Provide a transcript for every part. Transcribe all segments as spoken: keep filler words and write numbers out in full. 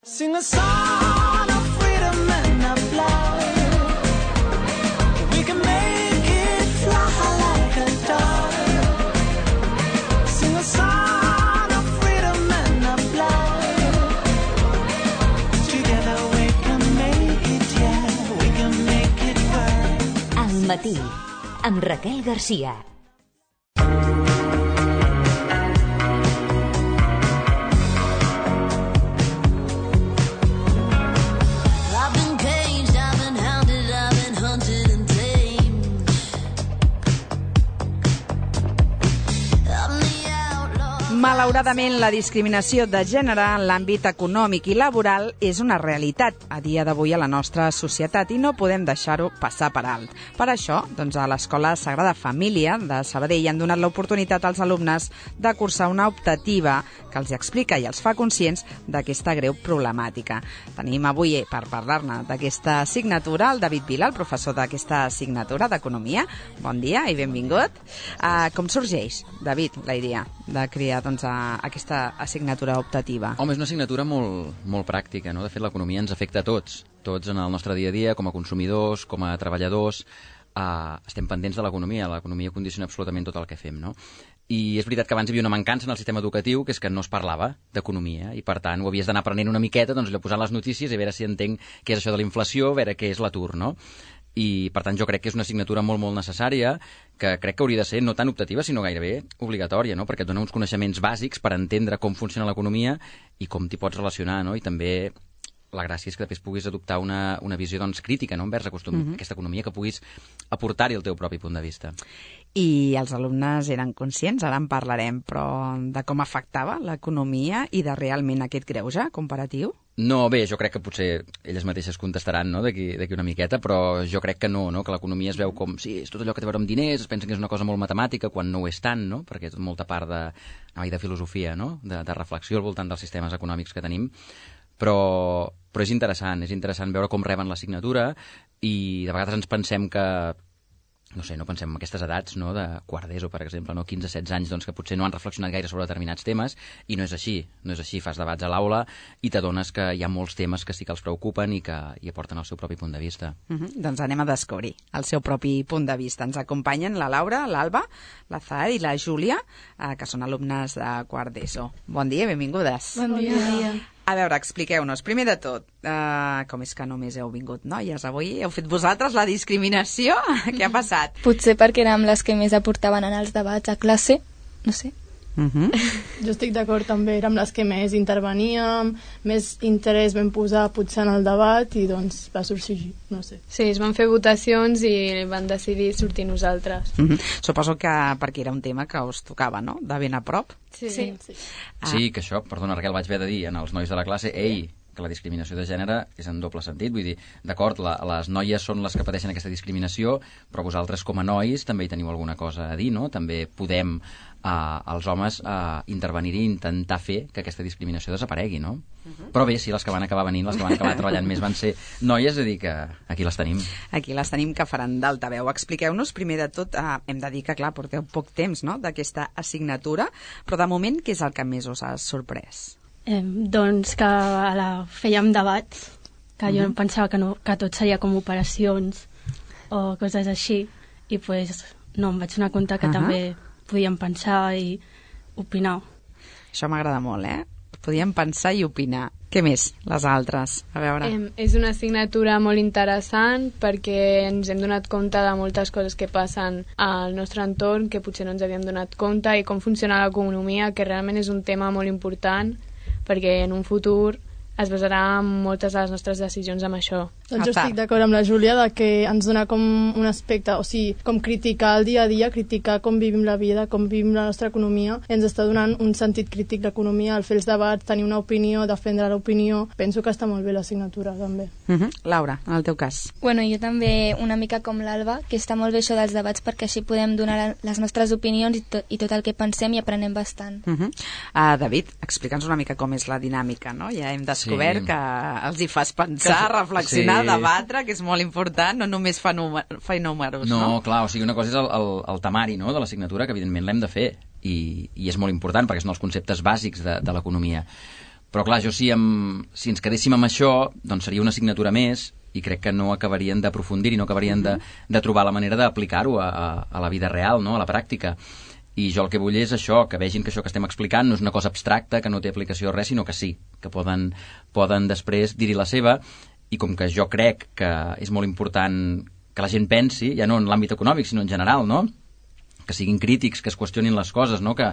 Sing a song of freedom and of love. We can make it fly like a dove. Sing a song of freedom and of love. Together we can make it, yeah, we can make it work. Al matí, amb Raquel Garcia. Malauradament, la discriminació de gènere en l'àmbit econòmic i laboral és una realitat a dia d'avui a la nostra societat i no podem deixar-ho passar per alt. Per això, doncs, a l'Escola Sagrada Família de Sabadell han donat l'oportunitat als alumnes de cursar una optativa que els explica i els fa conscients d'aquesta greu problemàtica. Tenim avui, per parlar-ne d'aquesta assignatura, el David Vila, el professor d'aquesta assignatura d'Economia. Bon dia i benvingut. Uh, com sorgeix, David, la idea de crear doncs, a aquesta assignatura optativa? Home, és una assignatura molt, molt pràctica, no? De fet, l'economia ens afecta a tots, tots en el nostre dia a dia, com a consumidors, com a treballadors. Uh, estem pendents de l'economia, l'economia condiciona absolutament tot el que fem, no? I és veritat que abans hi havia una mancança en el sistema educatiu, que és que no es parlava d'economia, i per tant ho havies d'anar aprenent una miqueta, doncs allò posant les notícies i a veure si entenc què és això de la inflació, a veure què és l'atur, no? I per tant jo crec que és una assignatura molt molt necessària, que crec que hauria de ser no tan optativa sinó gairebé obligatòria, no? Perquè et dona uns coneixements bàsics per entendre com funciona l'economia i com t'hi pots relacionar, no? I també la gràcia és que després puguis adoptar una, una visió doncs, crítica, no? Envers acostum, mm-hmm. aquesta economia, que puguis aportar-hi el teu propi punt de vista. I els alumnes eren conscients, ara en parlarem, però de com afectava l'economia i de realment aquest greuge comparatiu? No, bé, jo crec que potser elles mateixes contestaran, no?, d'aquí una miqueta, però jo crec que no, no?, que l'economia es veu com, sí, és tot allò que té a veure amb diners, es pensen que és una cosa molt matemàtica, quan no ho és tant, no?, perquè és molta part de, de filosofia, no?, de, de reflexió al voltant dels sistemes econòmics que tenim, però, però és interessant, és interessant veure com reben l'assignatura i de vegades ens pensem que no sé, no pensem en aquestes edats, no?, de quart d'ESO, per exemple, no?, quinze setze anys, doncs, que potser no han reflexionat gaire sobre determinats temes, i no és així, no és així, fas debats a l'aula i t'adones que hi ha molts temes que sí que els preocupen i que hi aporten el seu propi punt de vista. Uh-huh. Doncs anem a descobrir el seu propi punt de vista. Ens acompanyen la Laura, l'Alba, la Zahar i la Júlia, eh, que són alumnes de quart d'ESO. Bon dia, benvingudes. Bon dia. Bon dia. A veure, expliqueu-nos, primer de tot, uh, com és que només heu vingut noies avui? Heu fet vosaltres la discriminació? Què ha passat? Potser perquè érem les que més aportaven en els debats a classe, no sé. Uh-huh. Jo estic d'acord també, érem les que més interveníem, més interès vam posar potser en el debat i doncs va sorgir, no sé. Sí, es van fer votacions i van decidir sortir nosaltres. Uh-huh. Suposo que perquè era un tema que us tocava, no?, de ben a prop. Sí, sí. sí. Ah. Sí, que això, perdona, Raquel, vaig haver de dir en els nois de la classe, ei, que la discriminació de gènere és en doble sentit, vull dir, d'acord, la, les noies són les que pateixen aquesta discriminació, però vosaltres com a nois també hi teniu alguna cosa a dir, no? També podem, eh, els homes, eh, intervenir i intentar fer que aquesta discriminació desaparegui, no? Uh-huh. Però bé, sí, les que van acabar venint, les que van acabar treballant més van ser noies, és a dir, que aquí les tenim. Aquí les tenim, que faran d'altaveu. Expliqueu-nos, primer de tot, eh, hem de dir que, clar, porteu poc temps, no?, d'aquesta assignatura, però de moment, què és el que més us ha sorprès? Eh, doncs que a la, fèiem debats, que jo uh-huh. pensava que, no, que tot seria com operacions o coses així, i pues, no, em vaig donar compte que uh-huh. també podíem pensar i opinar. Això m'agrada molt, eh? Podíem pensar i opinar. Què més, les altres? A veure... Eh, és una assignatura molt interessant perquè ens hem donat compte de moltes coses que passen al nostre entorn que potser no ens havíem donat compte i com funciona l'economia, que realment és un tema molt important perquè en un futur es basarà en moltes de les nostres decisions amb això. Doncs jo estic d'acord amb la Júlia de que ens dona com un aspecte, o sigui, com criticar el dia a dia, criticar com vivim la vida, com vivim la nostra economia, i ens està donant un sentit crític l'economia, el fer els debats, tenir una opinió, defendre l'opinió. Penso que està molt bé l'assignatura, també. Uh-huh. Laura, en el teu cas. Bueno, jo també una mica com l'Alba, que està molt bé això dels debats perquè així podem donar les nostres opinions i, to i tot el que pensem i aprenem bastant. Uh-huh. uh, David, explica'ns una mica com és la dinàmica, no? Ja hem descobert sí. que els hi fas pensar, que... reflexionar, sí. debatre, que és molt important, no només fa, fa números, no? No, clar, o sigui, una cosa és el, el, el temari, no?, de l'assignatura, que evidentment l'hem de fer, i, i és molt important, perquè són els conceptes bàsics de, de l'economia. Però clar, jo si, em, si ens quedéssim amb això, doncs seria una assignatura més i crec que no acabarien d'aprofundir i no acabarien de, de trobar la manera d'aplicar-ho a, a, a la vida real, no? A la pràctica. I jo el que vull és això, que vegin que això que estem explicant no és una cosa abstracta, que no té aplicació a res, sinó que sí, que poden, poden després dir-hi la seva, i com que jo crec que és molt important que la gent pensi, ja no en l'àmbit econòmic, sinó en general, no? Que siguin crítics, que es qüestionin les coses, no? Que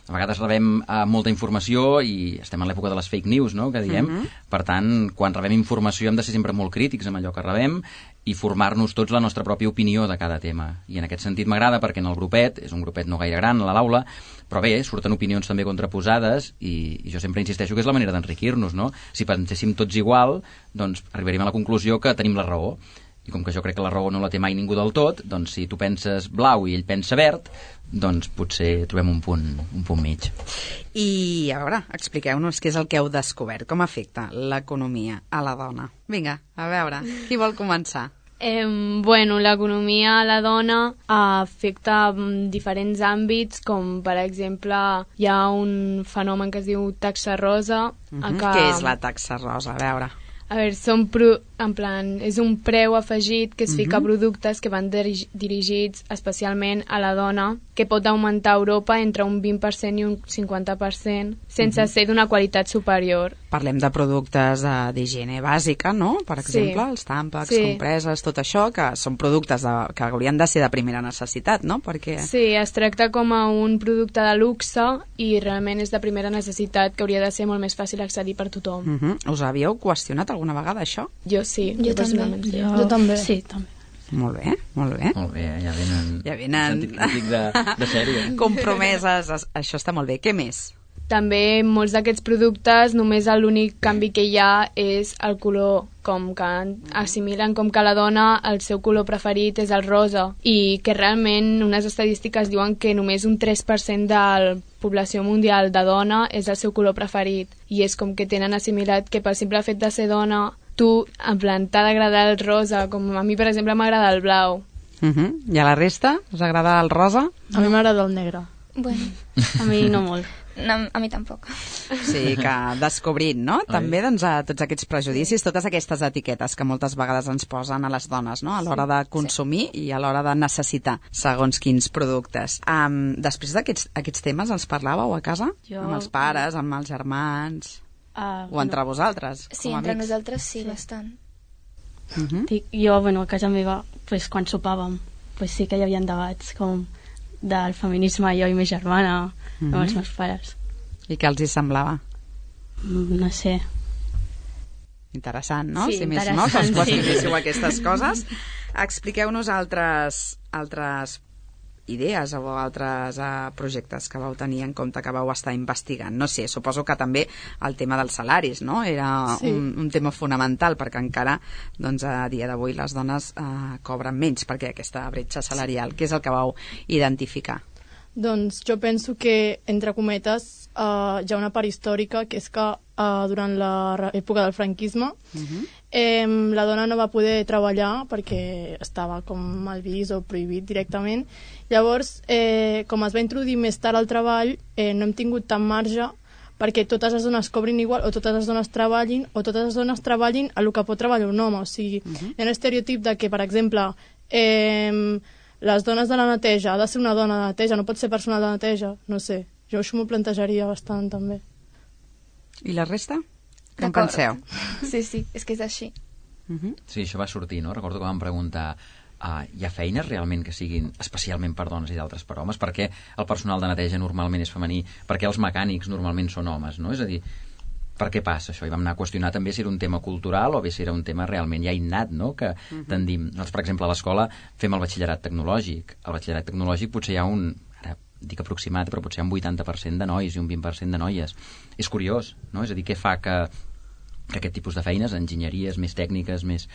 a vegades rebem uh, molta informació i estem en l'època de les fake news, no?, que diem. Uh-huh. Per tant, quan rebem informació hem de ser sempre molt crítics amb allò que rebem i formar-nos tots la nostra pròpia opinió de cada tema. I en aquest sentit m'agrada perquè en el grupet, és un grupet no gaire gran a l'aula, però bé, surten opinions també contraposades i, i jo sempre insisteixo que és la manera d'enriquir-nos, no? Si penséssim tots igual, doncs arribaríem a la conclusió que tenim la raó. I com que jo crec que la raó no la té mai ningú del tot, doncs si tu penses blau i ell pensa verd, doncs potser trobem un punt, un punt mig. I a veure, expliqueu-nos què és el que heu descobert, com afecta l'economia a la dona. Vinga, a veure, qui vol començar? Eh, bueno, l'economia a la dona afecta diferents àmbits, com per exemple hi ha un fenomen que es diu taxa rosa. Uh-huh. que... Què és la taxa rosa? A veure... A veure, són pro... en plan, és un preu afegit que es fica Mhm. a productes que van dirigi- dirigits especialment a la dona, que pot augmentar a Europa entre un vint per cent i un cinquanta per cent, sense Mhm. ser d'una qualitat superior. Parlem de productes eh, d'higiene bàsica, no? Per exemple, Sí. els tàmpacs, Sí. compreses, tot això, que són productes de, que haurien de ser de primera necessitat, no? Perquè... Sí, es tracta com a un producte de luxe i realment és de primera necessitat, que hauria de ser molt més fàcil accedir per tothom. Uh -huh. Us havíeu qüestionat alguna vegada això? Jo sí, Jo personalment també. sí. Jo, jo també. Sí, també. Molt bé, molt bé. Molt bé, ja venen... Ja venen- sentit crític de, de sèrie. Compromeses, es- això està molt bé. Què més? També molts d'aquests productes només l'únic canvi que hi ha és el color, com que assimilen com que la dona el seu color preferit és el rosa i que realment unes estadístiques diuen que només un tres per cent de la població mundial de dona és el seu color preferit i és com que tenen assimilat que pel simple fet de ser dona tu, en plan, t'ha d'agradar el rosa, com a mi per exemple m'agrada el blau. Uh -huh. I a la resta? Us agrada el rosa? A mi m'agrada el negre. Bueno, A mi no molt. no, a mi tampoc. Sí, que descobrint, no? També doncs, a tots aquests prejudicis, totes aquestes etiquetes que moltes vegades ens posen a les dones, no? A l'hora de consumir i a l'hora de necessitar segons quins productes. Um, després d'aquests aquests temes els parlàveu a casa? Jo- Amb els pares, amb els germans... Uh, O entre vosaltres, Sí, com a entre amics? nosaltres sí, bastant. Uh -huh. Dic, jo, bueno, a casa meva, pues, quan sopàvem, pues, sí que hi havia debats com del feminisme, jo i ma germana, Mhm. amb els meus pares. I què els hi semblava? Mm, No sé. Interessant, no? Sí, si més no, que us interessant, sí. qüestionéssiu aquestes coses. Expliqueu-nos altres, altres idees o altres uh, projectes que vau tenir en compte que vau estar investigant. No sé, suposo que també el tema dels salaris, no? Era Sí. un, un tema fonamental perquè encara doncs, a dia d'avui les dones uh, cobren menys perquè aquesta bretxa salarial, què és el que vau identificar? Doncs jo penso que, entre cometes, uh, hi ha una part històrica, que és que uh, durant l'època del franquisme Uh-huh. eh, la dona no va poder treballar perquè estava com mal vist o prohibit directament. Llavors, eh, com es va introduir més tard al treball, eh, no hem tingut tant marge perquè totes les dones cobrin igual o totes les dones treballin o totes les dones treballin a el que pot treballar un home. O sigui, Uh-huh. hi ha un estereotip de que, per exemple, eh, les dones de la neteja, ha de ser una dona de neteja, no pot ser personal de neteja, no sé. Jo això m'ho plantejaria bastant, també. I la resta? Què en D'acord. penseu? Sí, sí, és que és així. Uh-huh. Sí, això va sortir, no? Recordo que vam preguntar uh, hi ha feines realment que siguin especialment per dones i d'altres per homes? Per què el personal de neteja normalment és femení? Per què els mecànics normalment són homes, no? És a dir, per què passa això? I vam anar a qüestionar també si era un tema cultural o bé si era un tema realment ja innat, no? Que tendim. Nosaltres, per exemple, a l'escola fem el batxillerat tecnològic. Al batxillerat tecnològic potser hi ha un, ara dic aproximat, però potser hi ha un vuitanta per cent de nois i un vint per cent de noies. És curiós, no? És a dir, què fa que, que aquest tipus de feines, enginyeries més tècniques, més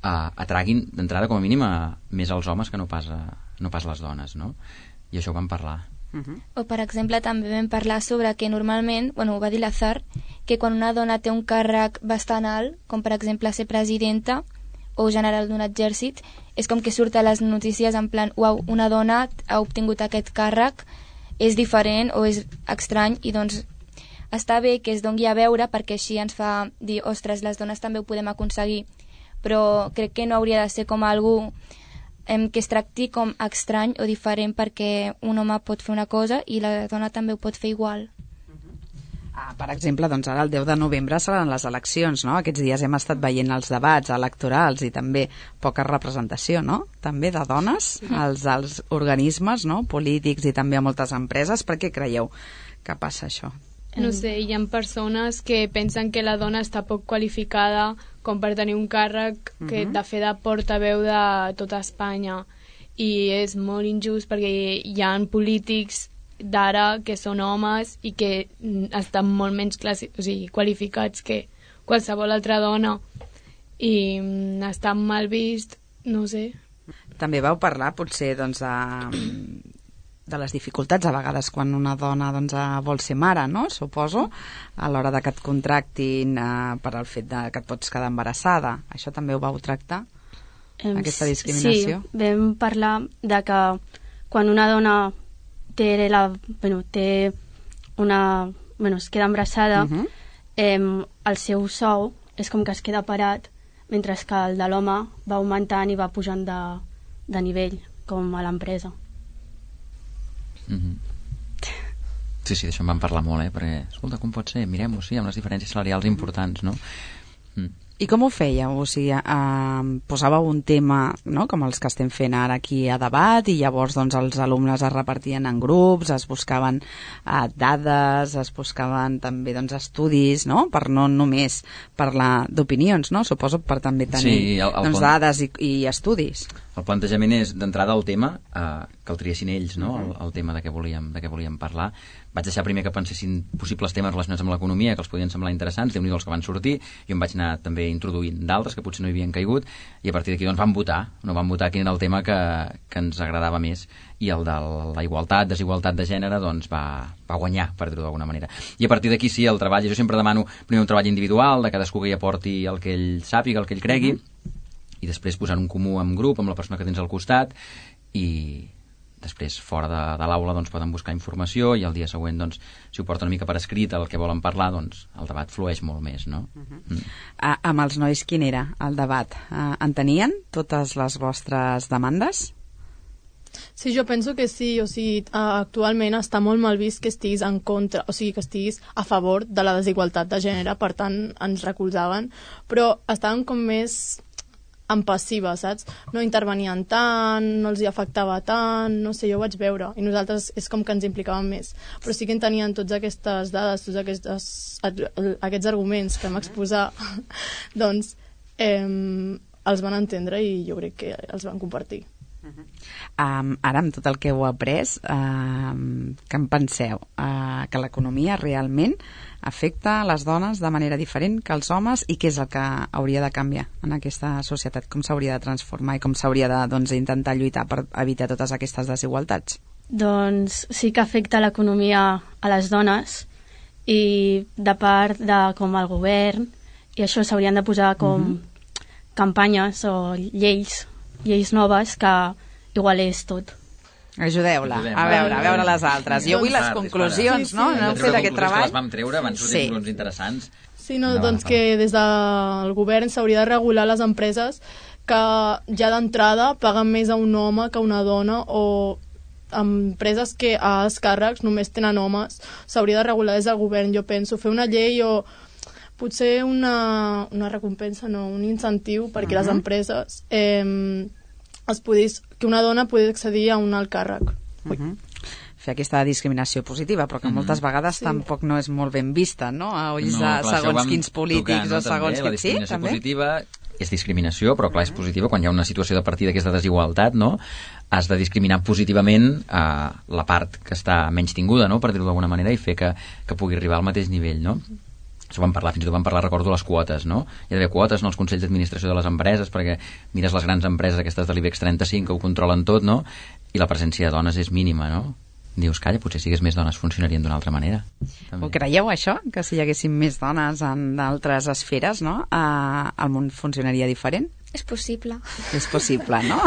uh, atraguin d'entrada com a mínim a, més als homes que no pas, a, no pas les dones, no? I això ho vam parlar. Uh-huh. O, per exemple, també vam parlar sobre que normalment, bueno, ho va dir l'Azar, que quan una dona té un càrrec bastant alt, com per exemple ser presidenta o general d'un exèrcit, és com que surt a les notícies en plan, uau, una dona ha obtingut aquest càrrec, és diferent o és estrany, i doncs està bé que es doni a veure perquè així ens fa dir, ostres, les dones també ho podem aconseguir, però crec que no hauria de ser com algú em, que es tracti com estrany o diferent perquè un home pot fer una cosa i la dona també ho pot fer igual. Ah, per exemple, doncs ara el deu de novembre seran les eleccions, no? Aquests dies hem estat veient els debats electorals i també poca representació, no? També de dones als, als organismes, no? Polítics i també a moltes empreses. Per què creieu que passa això? No sé, hi ha persones que pensen que la dona està poc qualificada com per tenir un càrrec que Mhm. de fer de portaveu de tota Espanya, i és molt injust perquè hi ha polítics d'ara que són homes i que mm, estan molt menys classi- o sigui, qualificats que qualsevol altra dona i mm, està mal vist, no sé. També vau parlar potser doncs, de, de les dificultats a vegades quan una dona doncs, eh, vol ser mare, no? Suposo, a l'hora de que et contractin eh, per al fet de que et pots quedar embarassada. Això també ho vau tractar? Em, Aquesta discriminació? Sí, vam parlar de que quan una dona té, la, bueno, té una... Bueno, es queda embarassada, uh -huh. eh, el seu sou és com que es queda parat, mentre que el de l'home va augmentant i va pujant de, de nivell, com a l'empresa. Mm-hmm. Sí, sí, d'això en vam parlar molt, eh? Perquè, escolta, com pot ser? Mirem-ho, sí, amb les diferències salarials importants, no? Mm. I com ho fèieu? O sigui, eh, posàveu un tema, no?, com els que estem fent ara aquí a debat, i llavors doncs, els alumnes es repartien en grups, es buscaven eh, dades, es buscaven també doncs, estudis, no?, per no només parlar d'opinions, no?, suposo per també tenir Sí, el- el doncs, pont- dades i, i estudis. El plantejament és, d'entrada, el tema, eh, que el triessin ells, no?, el, el tema de què volíem, de què volíem parlar. Vaig deixar primer que pensessin possibles temes relacionats amb l'economia que els podien semblar interessants, déu-n'hi-do els que van sortir, jo em vaig anar també introduint d'altres que potser no hi havien caigut, i a partir d'aquí doncs vam votar, no vam votar quin era el tema que, que ens agradava més, i el de la igualtat, desigualtat de gènere, doncs va, va guanyar, per dir-ho d'alguna manera. I a partir d'aquí sí, el treball, jo sempre demano primer un treball individual, de cadascú que hi aporti el que ell sàpiga, el que ell cregui, i després posar un comú en grup amb la persona que tens al costat, i després fora de, de l'aula doncs, poden buscar informació, i el dia següent doncs, si ho porten una mica per escrit el que volen parlar, doncs el debat flueix molt més, no? Uh-huh. mm. Ah, amb els nois quin era el debat? Eh, entenien totes les vostres demandes? Sí, jo penso que sí, o sigui, actualment està molt mal vist que estiguis en contra, o sigui, que estiguis a favor de la desigualtat de gènere, per tant ens recolzaven, però estaven com més en passiva, saps? No intervenien tant, no els hi afectava tant, no sé, jo ho vaig veure, i nosaltres és com que ens implicàvem més, però sí que en tenien totes aquestes dades, tots aquests, aquests arguments que vam exposar, doncs eh, els van entendre i jo crec que els van compartir. Um, ara, amb tot el que heu après, um, què en penseu? Uh, que l'economia realment afecta les dones de manera diferent que els homes, i què és el que hauria de canviar en aquesta societat? Com s'hauria de transformar i com s'hauria de doncs, intentar lluitar per evitar totes aquestes desigualtats? Doncs sí que afecta l'economia a les dones, i de part de com el govern, i això s'haurien de posar com uh-huh. campanyes o lleis, lleis noves que igualés tot. Ajudeu-la, Ajudem, a va, veure, a va, veure va. les altres. Jo vull les Dispara, conclusions, dispara. no? Sí, sí. No heu fet aquest treball? Que les vam treure, van sortir Sí. conclusions interessants. Sí, no, Endavant, doncs que des del govern s'hauria de regular les empreses que ja d'entrada paguen més a un home que a una dona, o empreses que a els càrrecs només tenen homes. S'hauria de regular des del govern, jo penso, fer una llei o potser una, una recompensa, no, un incentiu perquè uh-huh. les empreses eh, es podís, que una dona pugui accedir a un alt càrrec. Uh-huh. Fer aquesta discriminació positiva, però que Mhm. moltes vegades Sí. tampoc no és molt ben vista, no? A ulls No, de clar, això ho segons vam quins polítics tocar, no, o segons també, la quins... Sí, discriminació també? positiva és discriminació, però clar, és positiva quan hi ha una situació de partida que és de desigualtat, no? Has de discriminar positivament eh, la part que està menys tinguda, no? Per dir-ho d'alguna manera, i fer que, que pugui arribar al mateix nivell, no? Això vam parlar, fins i tot vam parlar, recordo, les quotes, no? Hi ha d'haver quotes en els consells d'administració de les empreses, perquè mires les grans empreses aquestes de l'IBEX trenta-cinc que ho controlen tot, no? I la presència de dones és mínima, no? Dius, calla, potser si hi hagués més dones funcionarien d'una altra manera. També. Ho creieu, això? Que si hi haguessin més dones en d'altres esferes, no? Eh, el món funcionaria diferent? És possible. És possible, no?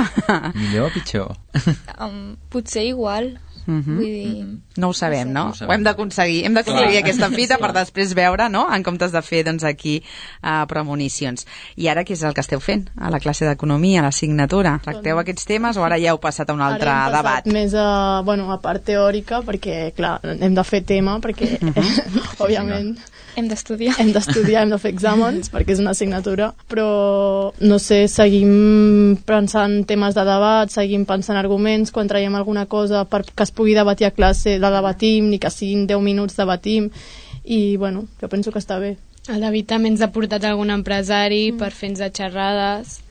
Millor o pitjor? Um, potser igual. Mm -hmm. Vull dir... No ho sabem, no? No ho sabem. Ho hem d'aconseguir. Hem d'aconseguir Clar. aquesta fita Sí. per després veure, no?, en comptes de fer, doncs, aquí uh, premonicions. I ara què és el que esteu fent a la classe d'economia, a l'assignatura? Tracteu aquests temes o ara ja heu passat a un altre Ara hem debat? passat més a, bueno, a part teòrica, perquè, clar, hem de fer tema, perquè, òbviament, Hem d'estudiar. hem d'estudiar, hem de fer exàmens, perquè és una assignatura, però, no sé, seguim pensant temes de debat, seguim pensant arguments, quan traiem alguna cosa per que es pugui debatir a classe, la debatim, ni que siguin deu minuts debatim, i, bueno, jo penso que està bé. El David també ens ha portat algun empresari mm. per fer-nos de xerrades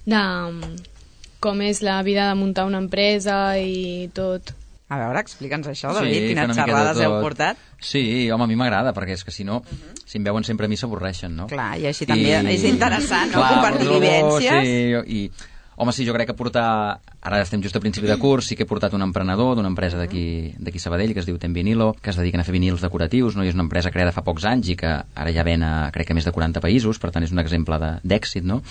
de com és la vida de muntar una empresa i tot. A veure, explica'ns això, David, Sí, quines fer una mica de xerrades heu tot. portat? Sí, home, a mi m'agrada, perquè és que si no, si em veuen sempre a mi s'avorreixen, no? Clar, i així també és interessant, no?, Clar, compartir però, vivències. Sí, i, home, sí, jo crec que portar... Ara estem just a principi de curs, sí que he portat un emprenedor d'una empresa d'aquí d'aquí Sabadell, que es diu Ten Vinilo, que es dediquen a fer vinils decoratius, no? I és una empresa creada fa pocs anys i que ara ja ven a, crec que a més de quaranta països, per tant és un exemple de- d'èxit, no?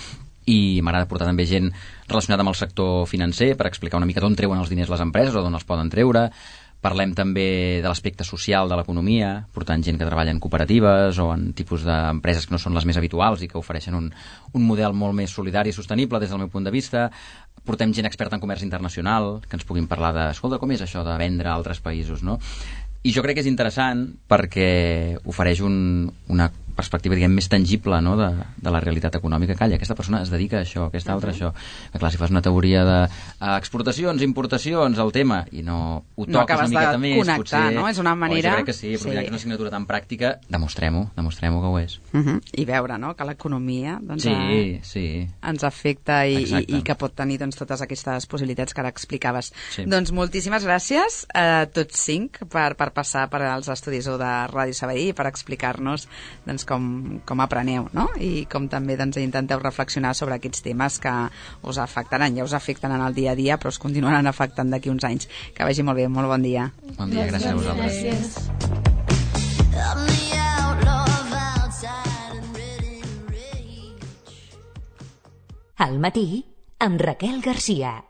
I m'agrada portar també gent relacionada amb el sector financer per explicar una mica d'on treuen els diners les empreses o d'on els poden treure. Parlem també de l'aspecte social de l'economia, portant gent que treballa en cooperatives o en tipus d'empreses que no són les més habituals i que ofereixen un, un model molt més solidari i sostenible des del meu punt de vista. Portem gent experta en comerç internacional, que ens puguin parlar de, escolta, com és això de vendre a altres països, no? I jo crec que és interessant perquè ofereix un, una perspectiva, diguem, més tangible, no?, de, de la realitat econòmica. Calla, aquesta persona es dedica a això, aquesta altra a això. Que clar, si fas una teoria de uh, exportacions, importacions, el tema, i no ho No toques acabes una miqueta de més, connectar, potser... no? És una manera- Oh, jo crec que sí, però Sí. mira, que és una assignatura tan pràctica, demostrem-ho, demostrem-ho que ho és. Uh -huh. I veure, no?, que l'economia, doncs, Sí, eh, sí. ens afecta i, i, Exacte. i que pot tenir, doncs, totes aquestes possibilitats que ara explicaves. Sí. Doncs moltíssimes gràcies a tots cinc per, per passar per als estudis U de Ràdio Sabadell i per explicar-nos, doncs, com, com apreneu, no?, i com també, doncs, intenteu reflexionar sobre aquests temes que us afectaran, ja us afecten en el dia a dia, però us continuaran afectant d'aquí uns anys. Que vagi molt bé, molt bon dia. Bon dia, gràcies a vosaltres. Gràcies. I'm the outlaw outside and ready to rage. Al matí, amb Raquel Garcia.